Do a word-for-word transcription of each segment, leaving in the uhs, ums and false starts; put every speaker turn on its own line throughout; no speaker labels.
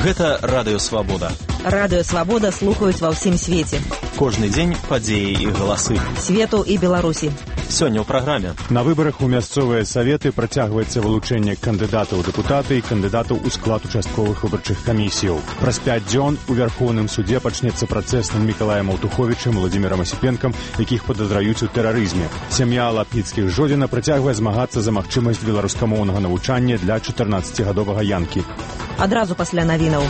Гэта Радыё Свабода.
Радыё Свабода слухаюць ва ўсім свеце.
Кожны дзень падзеі і галасы.
Свету і Беларусі.
Сёння ў праграме.
На выбарах у мясцовыя саветы працягваецца вылучэнне кандыдатаў у дэпутаты і кандыдатаў у склад участковых выбарчых камісіяў. Праз пяць дзён у Вярхоўным суде пачнецца працэс над Мікалаем Аўтуховічам, Владзімірам Асіпенкам, якіх падазраюць у тэрарызме. Сям'я Лапніцкіх Жодзіна працягвае змагацца за магчымасць беларускамоўнага навучання для чатырнаццацігадовага Янкі.
Адразу пасля навінаў.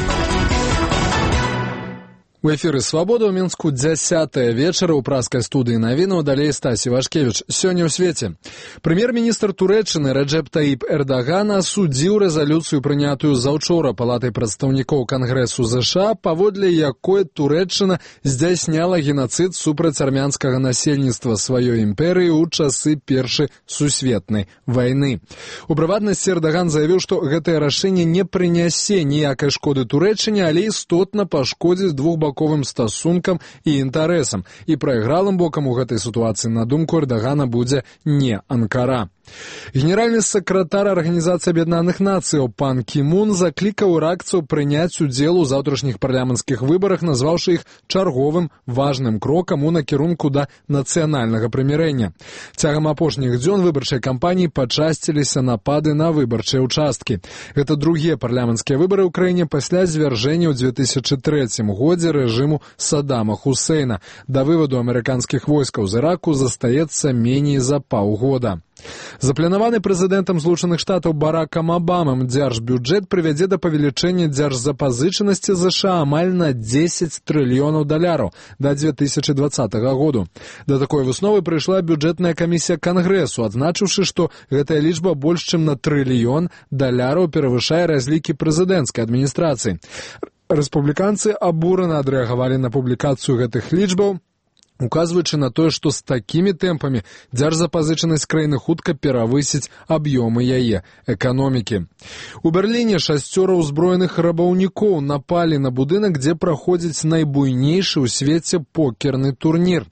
У эфіры «Свабода» ў Мінску дзясятая вечара ў праскай студыі навінаў, далей Стасі Вашкевіч. Сёння ў свеце. Прэм'ер-міністр Турэччыны Рэджэп Таіп Эрдаган асудзіў рэзалюцыю, прынятую заўчора Палатай прадстаўнікоў Кангрэсу ЗША, паводле якой Турэччына здзяйсняла генацыд супраць армянскага насельніцтва сваёй імперыі ў часы Першай сусветнай вайны. У прыватнасці Эрдаган заявіў, што гэтае рашэнне не прынясе ніякай шкоды Турэччыне, але істотна пашкодзіць двух баковым стасункам і інтарэсам. І прайгралым бокам у гэтай сітуацыі, на думку Эрдагана, будзе не Анкара. Генеральны сакратар Арганізацыі Аб'яднаных Нацыяў пан Кі Мун заклікаў іракцаў прыняць удзел у заўтрашніх парламенцкіх выбарах, назваўшы іх чарговым важным крокам у накірунку да нацыянальнага прымірэння. Цягам апошніх дзён выбарчай кампаніі пачасціліся напады на выбарчыя ўчасткі. Гэта другія парламенцкія выбары ў краіне пасля звяржэння ў дзве тысячы трэцім годзе рэжыму Саддама Хусейна. Да вываду амерыканскіх войскаў з Іраку застаецца меней за паўгода. Запланаваны прэзідэнтам Злучаных Штатаў Баракам Абамам дзяржбюджэт прывядзе да павелічэння дзяржзапазычанасці ЗША амаль на дзесяць трыльёнаў даляраў да дзве тысячы дваццатага году. Да такой высновы прыйшла бюджэтная камісія Кангрэсу, адзначыўшы, што гэтая лічба больш чым на трыльён даляраў перавышае разлікі прэзідэнцкай адміністрацыі. Рэспубліканцы абурана адрэагавалі на публікацыю гэтых лічбаў, указваючы на тое, што з такімі тэмпамі дзяржзапазычанасць краіны хутка перавысіць аб'ёмы яе эканомікі. У Берліне шасцёра ўзброеных рабаўнікоў напалі на будынак, дзе праходзіць найбуйнейшы ў свеце покерны турнір.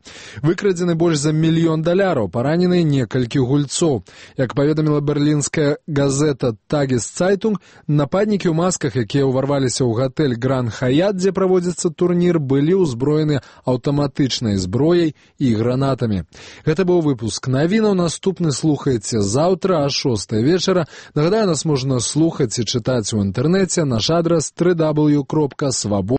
Выкрадзены больш за мільён даляраў, паранены некалькі гульцоў. Як паведаміла берлінская газета «Тагес-Цайтунг», нападнікі ў масках, якія ўварваліся ў гатэль «Гран Хаят», дзе праводзіцца турнір, былі ўзброены аўтаматычнай зброяй зброяй і гранатамі. Гэта быў выпуск навінаў. Наступны слухаеце заўтра а шостай вечара. Нагадаю, нас можна слухаць і чытаць у інтэрнэце. Наш адрас дабл ю дабл ю дабл ю кропка свабода.